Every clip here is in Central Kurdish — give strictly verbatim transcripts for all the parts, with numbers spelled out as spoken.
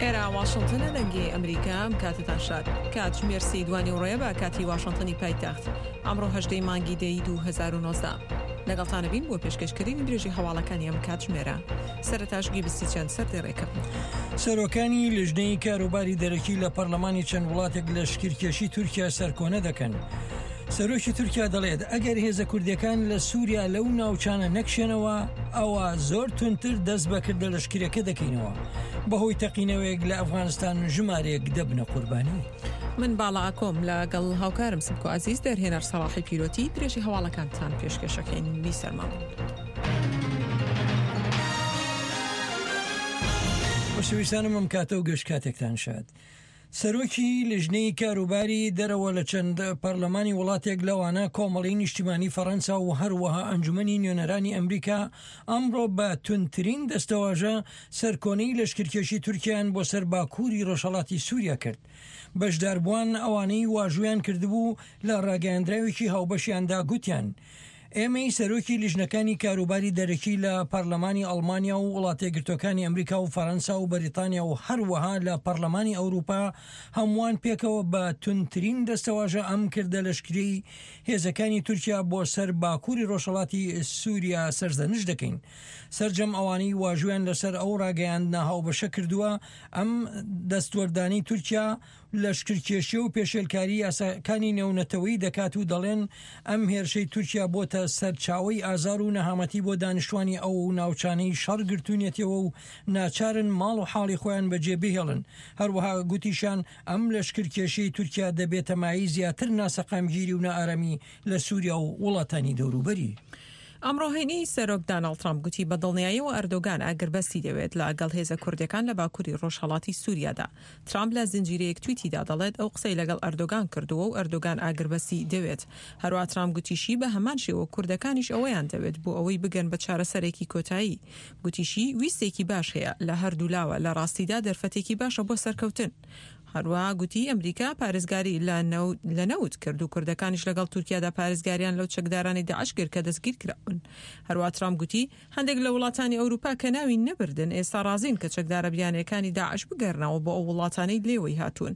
ئێرە واشنتنە، دەنگی ئەمریکا. ئەم کاتتان شاد. کاتژمێر سێی دوانی ڕێ بە کاتی واشنتنی پایتەخت. ئەمڕۆ هەژدەی مانگی دەی دوو هەزار و نۆزدە لەگەڵتانە بین بۆ پێشکەشکردنی درێژی هەواڵەکانی ئەم کاتژمێرە. سەرەتاش گوێبیستی چەند سەردێڕێکە بن. سەرۆکانی لیژنەی کاروباری دەرەکی لە پەرلەمانی چەند وڵاتێک لەشکرکێشی تورکیا سەرکۆنە دەکەن. سەرۆکی تورکیا دەڵێت ئەگەر هێزە کوردیەکان لە سووریا لەو ناوچانە نەکشێنەوە، ئەوە زۆر توندتر دەست بەکردە لەشکرەکە دەکەینەوە. بەهۆی تەقینەوەیەک لە ئەفغانستان ژمارەیەک دەبنە قوربانی. من باڵا ئاکۆم لەگەڵ هاوکارم سمکۆ عزیز، دەرهێنەر سەڵاحی پیرۆتی، درێژی هەواڵەکانتان پێشکەشەکەین. بیسەرمان بن. خۆشەویستانم، ئەم کاتە و گشت کاتێکتان شاد. سەرۆکی لیژنەی کاروباری دەرەوە لە چەند پەرلەمانی وڵاتێک، لەوانە کۆمەڵی نیشتیمانی فەڕەنسا و هەروەها ئەنجومەنی نوێنەرانی ئەمریکا، ئەمڕۆ بە توندترین دەستەواژە سەرکۆنەی لەشکرکێشی تورکیان بۆ سەر باکووری ڕۆژهەڵاتی سووریا کرد. بەشداربووان ئەوانەی واژویان کردبوو لە ڕاگەیاندراوێکی هاوبەشیاندا گوتیان: ئێمەی سەرۆکی لیژنەکانی کاروباری دەرەکی لە پەرلەمانی ئەڵمانیا و وڵاتە یەکگرتووەکانی ئەمریکا و فەرەنسا و بەریتانیا و هەروەها لە پەرلەمانی ئەوروپا، هەمووان پێکەوە بە توندترین دەستەواژە ئەم کردە لەشکری هێزەکانی تورکیا بۆ سەر باکووری ڕۆژهەڵاتی سووریا سەرزەنش دەکەین. سەرجەم ئەوانەی واژویان لەسەر ئەو ڕاگەیاندنە هاوبەشە کردووە، ئەم دەستوەردانی تورکیا لەشکرکێشی و پێشێلکاری یاساکانی نێونەتەوەی دەکات و دەڵێن ئەم هێرشەی تورکیا بۆتە سەرچاوەی ئازار و نەهامەتی بۆ دانیشتوانی ئەو ناوچانەی شەڕ گرتونیەتەوە و ناچارن ماڵ و حاڵی خۆیان بەجێ بهێڵن. هەروەها گوتیشان ئەم لەشکرکێشی تورکیا دەبێتە مایەی زیاتر ناسەقامگیری و نائارامی لە سووریا و وڵاتانی دەوروبەری. ئەمڕۆ هەینی سەرۆک داناڵد ترامپ گوتی بە دڵنیاییەوە ئەردۆگان ئاگربەستی دەوێت لە گەڵ هێزە کوردەکان لە باکووری ڕۆژهەڵاتی سووریادا. ترامپ لە زنجیرەیەک تویتیدا دەڵێت ئەو قسەی لەگەڵ ئەردۆگان کردووە و ئەردۆگان ئاگربەستی دەوێت. هەروەها ترامپ گوتیشی بە هەمان شێوە کوردەکانیش ئەوەیان دەوێت بۆ ئەوەی بگەن بە چارەسەرێکی کۆتایی. گوتیشی ویستێکی باش هەیە لە هەردوو لاوە، لە ڕاستیدا دەرفەتێکی باشە بۆ سەرکەوتن. هەروەها گوتی ئەمریکا پارێزگاری لە نەوت کرد و کوردەکانیش لەگەڵ تورکیادا پارێزگاریان لەو چەکدارانی داعش کرد کە دەستگیر کراون. هەروەها ترامپ گوتی هەندێک لە وڵاتانی ئەوروپا کە ناوی نەبردن ئێستا ڕازین کە چەکدارە بیانیەکانی داعش بگەڕنەوە بۆ ئەو وڵاتانەی لێوەی هاتوون.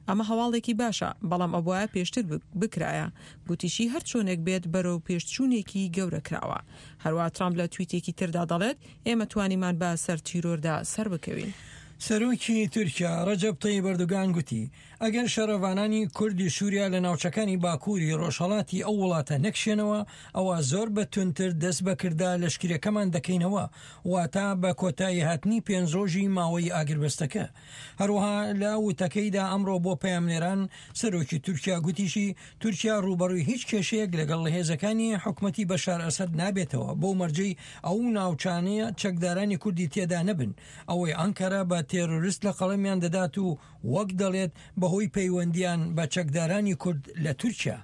ئەمە هەواڵێکی باشە، بەڵام ئەبوایە پێشتر بکرایە. گوتیشی هەر چۆنێک بێت بەرەو پێشچوونێکی گەورە کراوە. هەروەها ترامپ لە تویتێکی تردا دەڵێت ئێمە توانیمان بە سەر تیرۆردا سەر بکەوین. سەرۆکی تورکیا ڕەجەب تەیب ئەردۆگان گوتی ئەگەر شەڕەڤانانی کوردی سووریا لە ناوچەکانی باکووری ڕۆژهەڵاتی ئەو وڵاتە نەکشێنەوە، ئەوە زۆر بە توندتر دەست بەکردە لەشکرەکەمان دەکەینەوە، واتە بە کۆتایی هاتنی پێنج ڕۆژی ماوەی ئاگربەستەکە. هەروەها لە وتەکەیدا ئەمڕۆ بۆ پەیامنێران سەرۆکی تورکیا گوتیشی تورکیا ڕووبەڕووی هیچ کێشەیەک لەگەڵ هێزەکانی حکومەتی بەشار ئەسەد نابێتەوە، بۆ مەرجەی ئەو ناوچانەیە چەکدارانی کوردی تێدا نەبن، ئەوەی ئەنکەرە بە تێرۆریست لە قەڵەمیان دەدات و وەک دەڵێت بەهۆی پەیوەندیان بە چەکدارانی کورد لە تورکیا.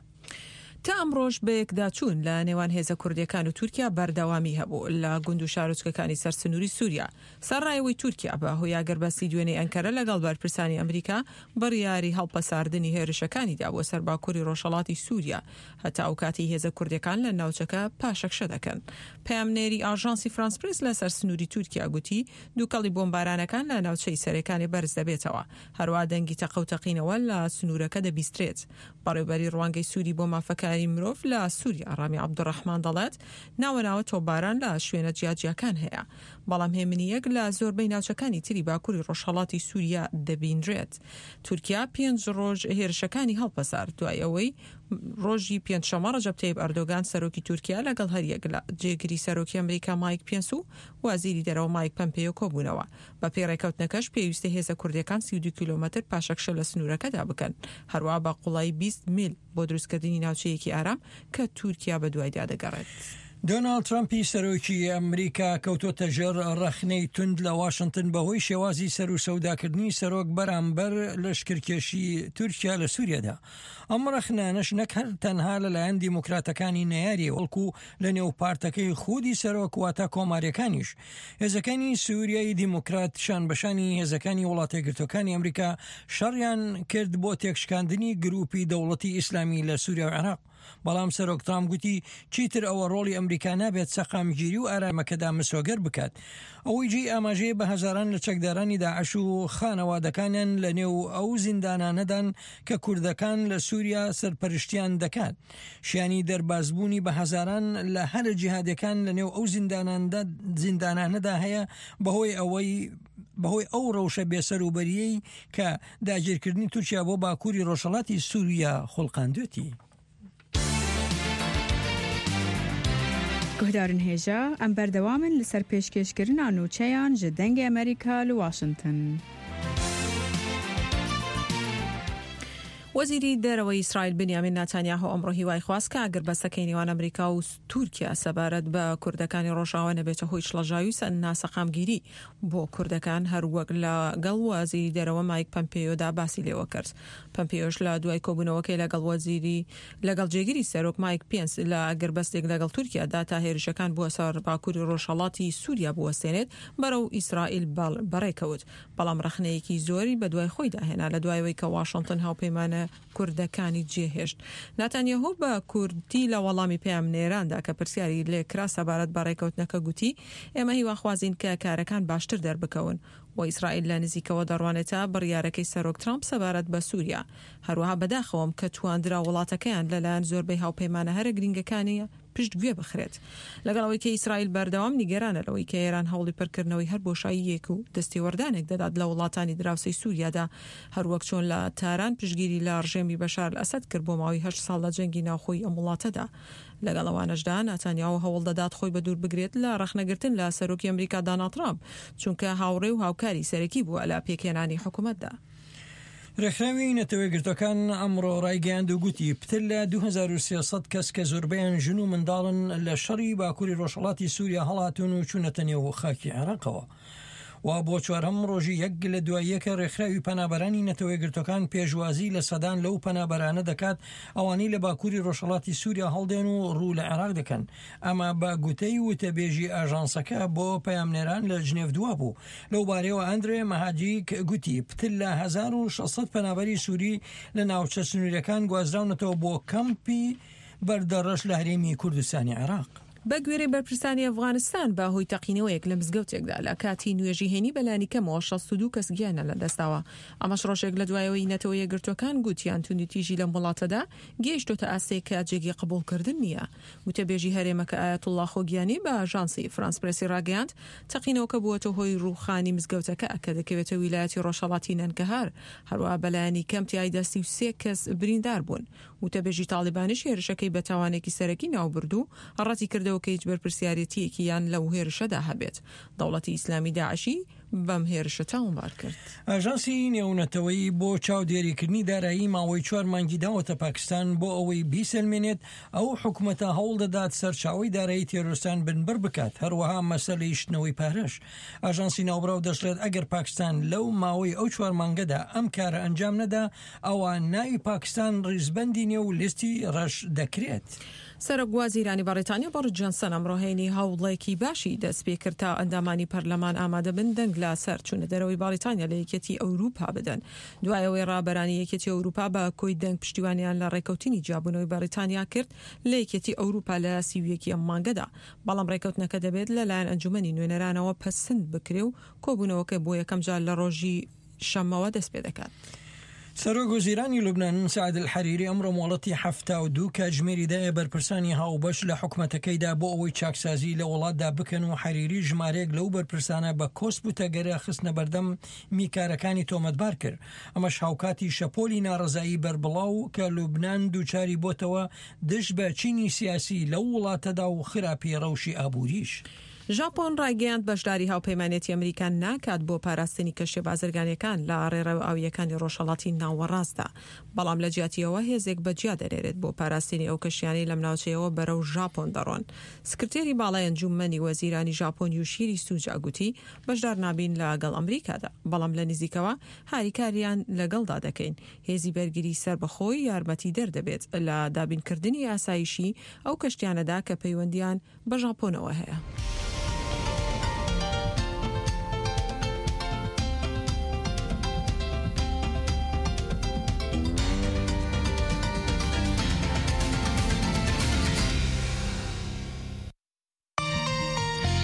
تا ئەمڕۆژ بەیەکداچوون لە نێوان هێزە کوردیەکان و تورکیا بەردەوامی هەبوو لە گوند و شارۆچکەکانی سەر سنووری سووریا. سەرڕایەوەی تورکیا بە هۆی ئاگربەستی دوێنێ ئەنکەرە لەگەڵ بەرپرسانی ئەمریکا بڕیاری هەڵپەساردنی هێرشەکانی دا بۆ سەر باکووری ڕۆژهەڵاتی سووریا هەتا ئەو کاتی هێزە کوردیەکان لە ناوچەکە پاشەکشە دەکەن. پەیامنێری ئاژانسی فرانس پرێس لەسەر سنووری تورکیا گوتی دووکەڵی بۆمبارانەکان لە ناوچەی سەرێکانی بەرز دەبێتەوە، هەروەها دەنگی تەقە و تەقینەوە لە سنوورەکە دەبیسترێت. بەڕێوبەری ڕوانگەی سووری بۆ مافەکانی مرۆڤ لە سووریا ڕامی عەبدوڕەحمان دەڵێت ناوە ناوە تۆپباران لە شوێنە جیاجیاکان هەیە، بەڵام هێمنیەک لە زۆربەی ناوچەکانی تری باکووری ڕۆژهەڵاتی سووریا دەبینرێت. تورکیا پێنج ڕۆژ هێرشەکانی هەڵپەسارد دوای ئەوەی ڕۆژی پێنجشەممە ڕەجەب تەیب ئەردۆگان سەرۆکی تورکیا لەگەڵ هەریەک لە جێگری سەرۆکی ئەمریکا مایک پێنس و وەزیری دەرەوە مایک پەمپێیۆ کۆبوونەوە. بە پێی ڕێکەوتنەکەش پێویستە هێزە کوردیەکان سی و دوو کیلۆمەتر پاشەکشە لە سنوورەکەدا بکەن، هەروەها بە قوڵایی بیست میل بۆ دروستکردنی ناوچەیەکی ئارام کە تورکیا بە دوایدا دەگەڕێت. دۆناڵد ترامپی سەرۆکی ئەمریکا کەوتۆتە ژێر ڕەخنەی توند لە واشنگتن بەهۆی شێوازی سەر و سەوداکردنی سەرۆک بەرامبەر لەشکرکێشی تورکیا لە سووریادا. ئەم ڕەخنانەش نەک هەر تەنها لەلایەن دیموکراتەکانی نەیاری، بەڵکو لە نێو پارتەکەی خودی سەرۆک، واتە کۆماریەکانیش. هێزەکانی سووریای دیموکرات شان بەشانی هێزەکانی وڵاتە یەکگرتووەکانی ئەمریکا شەڕیان کرد بۆ تێکشکاندنی گروپی دەوڵەتی ئیسلامی لە سووریا و عێراق. بەڵام سەرۆک ترامپ گوتی چیتر ئەوە ڕۆڵی ئەمریکا نابێت سەقامگیری و ئارامەکەدا مسۆگەر بکات. ئەوەی جێی ئاماژەیە بە هەزاران لە چەکدارانی داعش و خانەوادەکانیان لە نێو ئەو زیندانانەدان کە کوردەکان لە سووریا سەرپەرشتیان دەکات. شیانی دەربازبوونی بە هەزاران لە هەرە جیهادەکان لە نێو ئەو زیندانانەدا هەیە بەهۆی ئەوەی بەهۆی ئەو ڕەوشە بێسەروبەریەی کە داگیرکردنی تورکیا بۆ باکووری ڕۆژهەڵاتی سووریا خوڵقاندوێتی. گوهدارن هێژا ئەم بەردەوامن لەسەر پێشکێشکردنا نوچەیان ji دەنگê ئەمریکا li واشنگتن. وەزیری دەرەوەی ئیسرائیل بنیامین ناتانیاهۆ ئەمڕۆ هیوای خواست کە ئاگربەستەکەی نێوان ئەمریکا و تورکیا سەبارەت بە کوردەکانی ڕۆژاوا نەبێتە هۆی شڵەژاوی و ناسەقامگیری بۆ کوردەکان، هەروەک لەگەڵ وەزیری دەرەوە مایک پەمپێیۆدا باسی لێوە کرد. پەمپێیۆش لە دوای کۆبوونەوەکەی لەگەڵ وەزیری لەگەڵ جێگیری سەرۆک مایک پێنس لە ئاگربەستێک لەگەڵ تورکیادا تا هێرشەکان بووە سەر باکووری ڕۆژهەڵاتی سووریا بوەستێنێت بەرەو ئیسرائیل بەڕێکەوت، بەڵام ڕەخنەیەکی زۆری بەدوای خۆیدا هێنا لە دوایەوەی کە واشنگتن هاوپەیمانە کوردەکانی جێهێشت. ناتانیاهۆ بە کوردی لە وەڵامی پەیامنێراندا کە پرسیاری لێکرا سەبارەت بە ڕێکەوتنەکە گوتی ئێمە هیواخوازین کە کارەکان باشتر دەربکەون و ئیسرائیل لە نزیکەوە دەڕوانێتە بڕیارەکەی سەرۆک ترامپ سەبارەت بە سووریا. هەروەها بەداخەوەم کە تواندرا وڵاتەکەیان لەلایەن زۆربەی هاوپەیمانە هەرە گرنگەکانی پشتگوێ بخرێت. لەگەڵ ئەوەی کە ئیسرائیل بەردەوام نیگەرانە لەوەی کە ئێران هەوڵی پڕکردنەوەی هەر بۆشاییەک و دەستێوەردانێک دەدات لە وڵاتانی دراوسێی سووریادا، هەروەک چۆن لە تاران پشتگیری لە ڕژێمی بەشار ئەسەد کرد بۆ ماوەی هەشت ساڵ لە جەنگی ناوخۆی ئەم وڵاتەدا. لەگەڵ ئەوانەشدا ناتانیاهۆ هەوڵ دەدات خۆی بەدوور بگرێت لە ڕەخنەگرتن لە سەرۆکی ئەمریکا داناڵد ترامپ، چونکە هاوڕێ و هاوکاری سەرەکی بووە لە پێکهێنانی حکوومەتدا. ڕێکخراوی نەتەوەیەکگرتووەکان ئەمڕۆ ڕایگەیاند و گوتی پتر لە دوو هەزار و سێ سەد کەس کە زۆربەیان ژن و منداڵن لە شەڕی باکووری ڕۆژهەڵاتی سووریا هەڵاتون و چوونەتە نێو خاکی عێراقەوە. و بۆ چوارەم ڕۆژی یەک لە دوای یەکە ڕێکخراوی پەنابەرانی نەتەوەیەکگرتووەکان پێشوازی لە سەدان لەو پەنابەرانە دەکات ئەوانەی لە باکووری ڕۆژهەڵاتی سووریا هەڵدێن و ڕوو لە عێراق دەکەن. ئەمە بە گوتەی وتەبێژی ئاژانسەکە بۆ پەیامنێران لە ژنێڤ دوا بوو. لەو بارەیەوە ئەندرێ مەهاجیک گوتی پتر لە هەزار و شەش سەد پەنابەری سووری لە ناوچە سنووریەکان گوازراونەتەوە بۆ کەمپی بەردەڕەش لە هەرێمی کوردستانی عێراق. بە گوێرەی بەرپرسانی ئەفغانستان بە هۆی تەقینەوەیەک لە مزگەوتێکدا لە کاتی نوێژی هێنی بەلانی کەمەوە شەست و دوو کەس گیانیان لەدەستداوە. ئەمەش ڕۆژێک لە دوایەوەی نەتەوە یەکگرتووەکان گوتیان توندوتیژی لەم وڵاتەدا گەیشتۆتە ئاستێک کە جێگەی قبوڵکردن نییە. وتەبێژی هەرێمەکە ئایەتوڵڵا خۆگیانی بە ئاژانسی فرانس پرێسی ڕاگەیاند تەقینەوەکە بووەتە هۆی ڕووخانی مزگەوتەکە کە دەکەوێتە ویلایەتی ڕۆژهەڵاتی نەنگەهار. هەروەها بەلایەنی کەم تیایدا سی و سێ کەس بریندار بوون. وتەبێژی تاڵیبانیش هێرشەکەی بە تاوانێکی سەرەکی ناوبرد و ڕەتی کردەوە کە هیچ بەرپرسیارێتیەکیان لەو هێرشەدا هەبێت. دەوڵەتی ئیسلامی داعشی بەم هێرشە تاوانبار کرد. ئاژانسی نێونەتەوەیی بۆ چاودێریکردنی دارایی ماوەی چوار مانگی داوەتە پاکستان بۆ ئەوەی بیسەلمێنێت ئەو حکومەتە هەوڵ دەدات سەرچاوەی دارایی تێرۆرستان بنبڕ بکات، هەروەها مەسەلەی شتنەوەی پارەش. ئاژانسی ناوبراو دەشڵێت ئەگەر پاکستان لەو ماوەی ئەو چوار مانگەدا ئەم کارە ئەنجام نەدا ئەوە ناوی پاکستان ڕیزبەندی نێو لیستی ڕەش دەکرێت. سەرۆک وەزیرانی بەڕیتانیا بۆریس جۆنسن ئەمڕۆ هەینی هەوڵێکی باشی دەست پێکرد تا ئەندامانی پەرلەمان ئامادە بن دەنگ لەسەر چوونە دەرەوەی بەڕیتانیا لە یەکێتی ئەوروپا بدەن. دوای ئەوەی ڕابەرانی یەکێتی ئەوروپا بە کۆی دەنگ پشتیوانیان لە ڕێکەوتنی جیابوونەوەی بەڕیتانیا کرد لە یەکێتی ئەوروپا لە سی و یەکی ئەم مانگەدا، بەڵام ڕێکەوتنەکە دەبێت لەلایەن ئەنجومەنی نوێنەرانەوە پەسند بکرێ و کۆبوونەوەکە بۆ یەکەم جار لە ڕۆژی شەممەوە دەست پێ دەکات. سەرۆک وەزیرانی لوبنان سعد الحریری ئەمڕۆ مۆڵەتی حەفتا و دوو کاتژمێری دایە بەرپرسانی هاوبەش لە حکومەتەکەیدا بۆ ئەوەی چاکسازی لە وڵاتدا بکەن و حەریری ژمارەیەک لەو بەرپرسانە بە کۆسپ و تەگەرە خستنە بەردەم میکارەکانی تۆمەتبار کرد. ئەمەش هاوکاتی شەپۆلی ناڕەزایی بەربڵاو کە لوبنان دووچاری بۆتەوە دژ بە چینی سیاسی لەو وڵاتەدا و خراپی ڕەوشی ئابووریش. ژاپۆن ڕایگەیاند بەشداری هاوپەیمانێتی ئەمریکا ناکات بۆ پاراستنی کەشتیە بازرگانیەکان لە ڕێڕەوە ئاویەکانی ڕۆژهەڵاتی ناوەڕاستدا، بەڵام لە جیاتیەوە هێزێک بەجیا دەنێرێت بۆ پاراستنی ئەو کەشتیانەی لەم ناوچەیەوە بەرەو ژاپۆن دەڕۆن. سکرتێری باڵای ئەنجومەنی وەزیرانی ژاپۆن یوشیری سوجا گوتی بەشدار نابین لەگەڵ ئەمریکادا، بەڵام لە نزیکەوە هاریکاریان لەگەڵدا دەکەین. هێزی بەرگری سەربەخۆی یارمەتی دەردەبێت لە دابینکردنی ئاسایشی ئەو کەشتیانەدا کە پەیوەندیان بە ژاپۆنەوە هەیە.